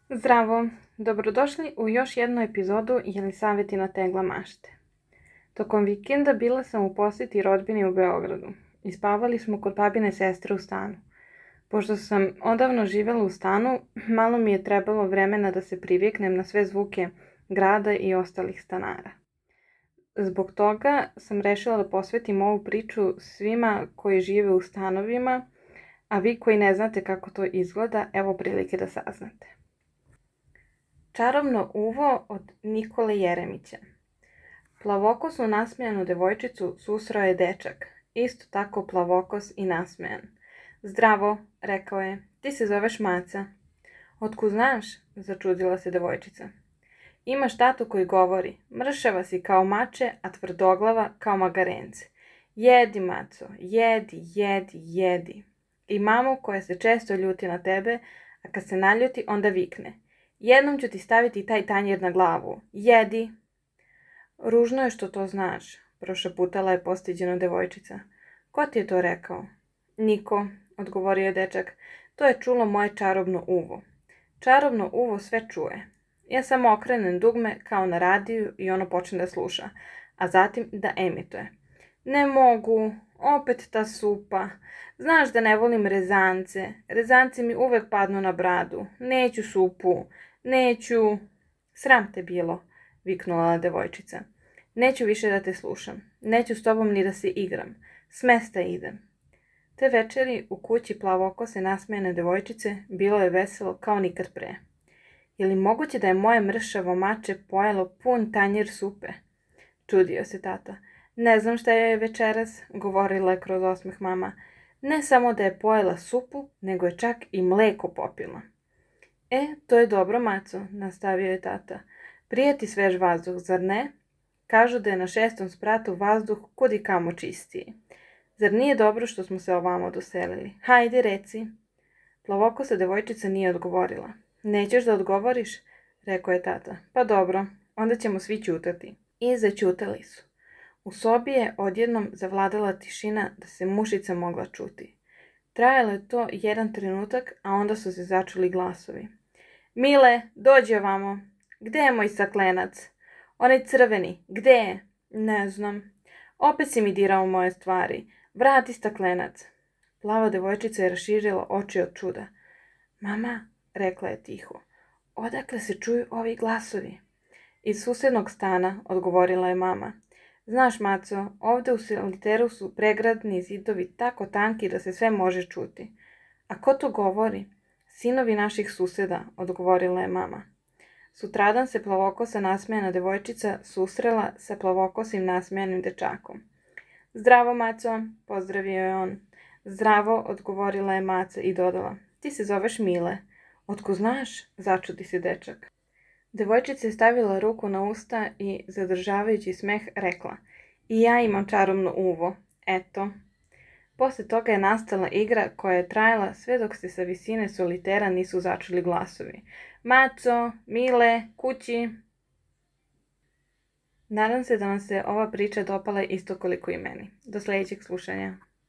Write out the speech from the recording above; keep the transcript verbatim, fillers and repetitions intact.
Zdravo, dobrodošli u još jednu epizodu Jelisavetina tegla mašte. Tokom vikenda bila sam u posjeti rodbini u Beogradu i spavali smo kod babine sestre u stanu. Pošto sam odavno živjela u stanu, malo mi je trebalo vremena da se priviknem na sve zvuke grada i ostalih stanara. Zbog toga sam rešila da posvetim ovu priču svima koji žive u stanovima, a vi koji ne znate kako to izgleda, evo prilike da saznate. Čarobno uvo od Nikole Jeremića. Plavokosnu nasmejanu devojčicu susreo je dečak, isto tako plavokos i nasmejan. Zdravo, rekao je, ti se zoveš Maca. Otkud znaš, začudila se devojčica. Imaš tatu koji govori, mršava si kao mače, a tvrdoglava kao magarence. Jedi, Maco, jedi, jedi, jedi. I mamu koja se često ljuti na tebe, a kad se naljuti onda vikne. Jednom ću ti staviti taj tanjir na glavu. Jedi. Ružno je što to znaš, prošaputala je postiđeno devojčica. Ko ti je to rekao? Niko, odgovorio je dečak. To je čulo moje čarobno uvo. Čarobno uvo sve čuje. Ja samo okrenem dugme kao na radiju i ono počne da sluša, a zatim da emituje. Ne mogu, opet ta supa. Znaš da ne volim rezance. Rezanci mi uvek padnu na bradu. Neću supu. Neću... Sram te bilo, viknula devojčica. Neću više da te slušam. Neću s tobom ni da se igram. S mesta idem. Te večeri u kući plavokose nasmejane devojčice bilo je veselo kao nikad pre. Je li moguće da je moje mršavo mače pojelo pun tanjir supe? Čudio se tata. Ne znam šta je večeras, govorila je kroz osmeh mama. Ne samo da je pojela supu, nego je čak i mleko popila. E, to je dobro, Maco, nastavio je tata. Prijeti svež vazduh, zar ne? Kažu da je na šestom spratu vazduh kudi kamo čistiji. Zar nije dobro što smo se ovamo doselili? Hajde, reci. Plavokosa devojčica nije odgovorila. Nećeš da odgovoriš? Rekao je tata. Pa dobro, onda ćemo svi ćutati. I zaćutali su. U sobi je odjednom zavladala tišina da se mušica mogla čuti. Trajalo je to jedan trenutak, a onda su se začuli glasovi. Mile, dođi ovamo. Gde je moj staklenac? Onaj crveni, gde je? Ne znam. Opet si mi dirao moje stvari. Vrati staklenac. Plava devojčica je raširila oči od čuda. Mama, rekla je tiho, odakle se čuju ovi glasovi? Iz susednog stana, odgovorila je mama. Znaš, Maco, ovde u soliteru su pregradni zidovi tako tanki da se sve može čuti. A ko to govori? Sinovi naših suseda, odgovorila je mama. Sutradan se plavokosa nasmejana devojčica susrela sa plavokosim nasmejanim dečakom. Zdravo, Maco, pozdravio je on. Zdravo, odgovorila je Maca i dodala. Ti se zoveš Mile. Otko znaš? Začudi se dečak. Devojčica je stavila ruku na usta i, zadržavajući smeh, rekla. I ja imam čarobno uvo. Eto. Posle toga je nastala igra koja je trajala sve dok se sa visine solitera nisu začuli glasovi. Maco, Mile, kući. Nadam se da vam se ova priča dopala isto koliko i meni. Do sljedećeg slušanja.